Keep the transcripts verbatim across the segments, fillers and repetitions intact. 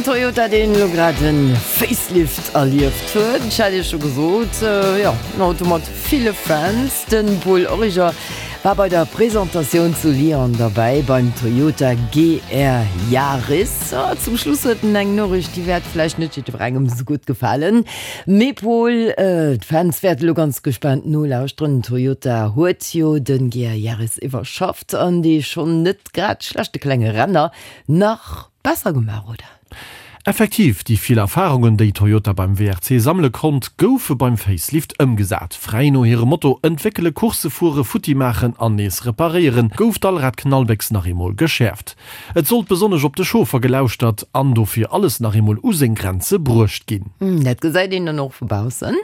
Toyota, deen elo grad e Facelift erlieft huet. Ech hat Iech scho gesot, jo, en Auto mat ville Fans. De Paul Origer war bei der Presentatioun zu Lyon derbäi beim Toyota G R Yaris. Zum Schluss huet en eng Noriicht, déi wäert vläicht net jiddwerengem esou gutt gefalen. Mee Paul, d'Fans wäerte elo ganz gespaant nolauschteren. Toyota huet jo de G R Yaris iwwerschafft an dee schonn net grad schlechte klenge Renner nach besser gemaach, oder? Effektiv, déi vill Erfarungen, déi Toyota beim W R C sammele konnt, goufe beim Facelift ëmgesat. Fräi no hirem Motto entwéckele, Coursse fuere, futti maachen an nees reparéieren, gouf d'Allrad-Knallbéchs nach eemol geschäerft. Et sollt besonnesch op de Chauffer gelauschtert an dofir alles nach eemol u seng Grenze bruecht ginn. Dat gesäit een dann och vu baussen.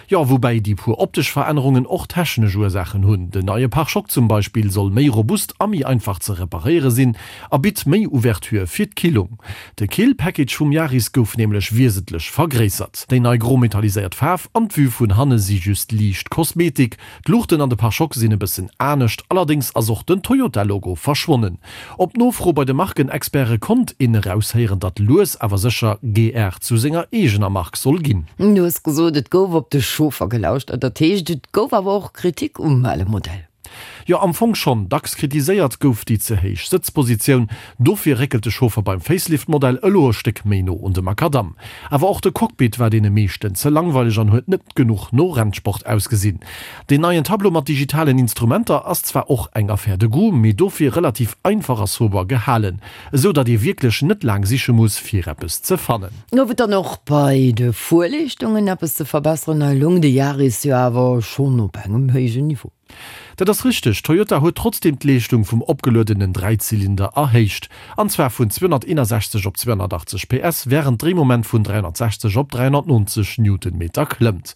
Jo, woubäi déi puer optesch Verännerungen och technesch Ursaachen hunn. Den neie Pare-chocs zum Beispill soll méi robust a méi einfach ze reparéiere sinn a bitt méi Ouverture fir d'Killung. De Kill-Package vum Yaris gouf nämlech wiesentlech vergréissert. Déi nei gro metalliséiert Faarf an d'Vue vun hanne si just liicht Kosmetik. D'Luuchten an de Pare-chocs sinn e bëssen anescht, allerdéngs ass och den Toyota-Logo verschwonnen. Op Nofro bei de Markenexperte konnt een eraushéieren, datt lues awer sécher G R zu senger eegener Mark soll ginn. Du hues gesot, et gouf op de Chauffer gelauschtert. Dat heescht, et gouf awer och Kritik um ale Modell? Jo, am Fong schonn. Dacks kritiséiert gouf déi ze héich Sëtzpositioun. Dofir réckelt de Chauffer beim Facelift-Modell elo e Stéck méi no un de Makadamm. Awer och de Cockpit war deene meeschten ze langweileg an huet net genuch no Rennsport ausgesinn. Deen neien Tableau mat digitalen Instrumenter ass zwar och eng Affaire de goût, mee dofir relativ einfach a sober gehalen, esou datt ee wierklech net laang siche muss, fir eppes ze fannen. Gouf et dann och bei de Fuerleeschtungen eppes ze verbesseren? Hei loung de Yaris jo awer schonn op engem héijen Niveau. Dat ass richteg, Toyota huet trotzdeem d'Leeschtung vum opgeluedenen Dräizylinder erhéicht, an zwar vun zweehonnerteenasechzeg op zweehonnertachtzeg P S, wärend Dréimoment vun dräihonnertsechzeg op dräihonnertnonzeg Newtonmeter klëmmt.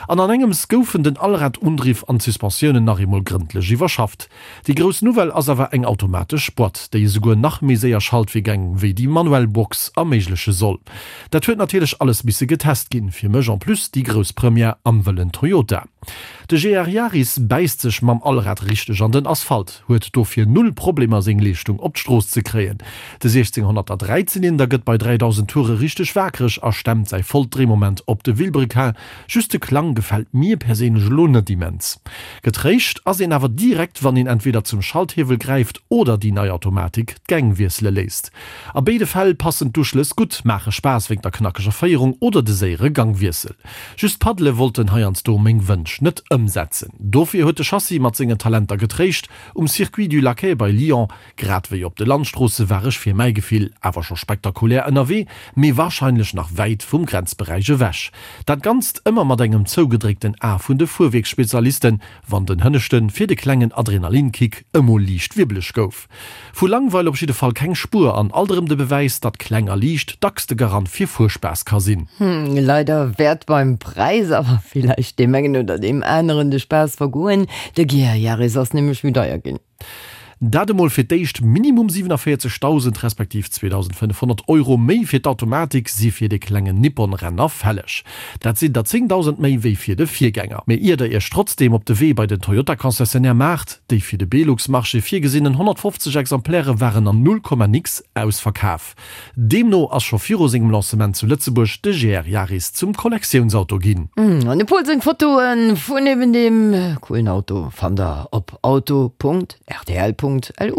An an engems goufen den Allradundriff an d'Suspensiounen nach eemol grëndlech iwwerschafft. Déi grouss Nouvelle ass awer eng automatesch Boîte, déi esouguer nach méi séier Schaltvirgäng wéi déi manuell Box erméigleche soll. Dat huet natierlech alles misse getest ginn, fir mech en plus déi grouss Première am wëllen Toyota. De G R Yaris bäisst sech mam Allrad richteg an den Asphalt, huet dofir null Problemer seng Leeschtung op d'Strooss ze kréien. De siechzénghonnerter Dräizylinder gëtt bei dräidausend Toure richteg waakreg a stemmt säi vollt Dréimoment op de Vilebrequin, just de Klang gefält mir perséinlech elo net immens. Getréischt ass een awer direkt wann een entweder zum Schalthiewel gräift oder déi nei Automatik d'Gäng wiessele léisst. A béide Fäll passen d'Uschlëss gutt, maache Spaass wéinst der knackeger Féierung oder de séiere Gangwiessel. Just d'Paddele wollten heiansdo meng Wënsch net ëmsetzen. Dofir huet de Chassis mat sengen Talenter getréischt. Um Circuit du Laquais bei Lyon, grad wéi op de Landstroosse war ech fir mäi Gefill awer scho spektakulär ënnerwee, mee warscheinlech nach wäit vum Grenzberäich ewech. Dat Ganzt ëmmer mat engem zougedréckten A vun de Fuerwierksspezialisten, wann den Hënneschte fir de klengen Adrenalinkick emol liicht wierbeleg gouf. Vu Langweil op jidde Fall keng Spuer an alt erëm de Bewäis, datt kleng a liicht dacks de Garant fir Fuerspaass ka sinn. Leider wäert beim Präis awer villäicht deem engen oder deem aneren de Spaass vergoen. De G R Yaris ass nämlech méi deier ginn. Dat emol fir d'éischt, Minimum siewenunvéierzegdausend respektiv zweedausendfënnefhonnert Euro méi fir d'Automatik si fir de klengen Nippon-Renner fälleg. Dat sinn der zéngdausend méi wéi fir de Virgänger. Mee ier der iech trotzdeem op de Wee bei den Toyota-Concessionnaire maacht, déi fir de Belux-Marché virgesinnen honnertfofzeg Exemplaire waren an null Komma nix ausverkaf. Deemno ass scho viru sengem Lancement zu Lëtzebuerg de G R Yaris zum Kollektiounsauto ginn. An dem Pol seng Fotoe vun eben deem coolen Auto fannt der op auto Punkt rtl Punkt lu.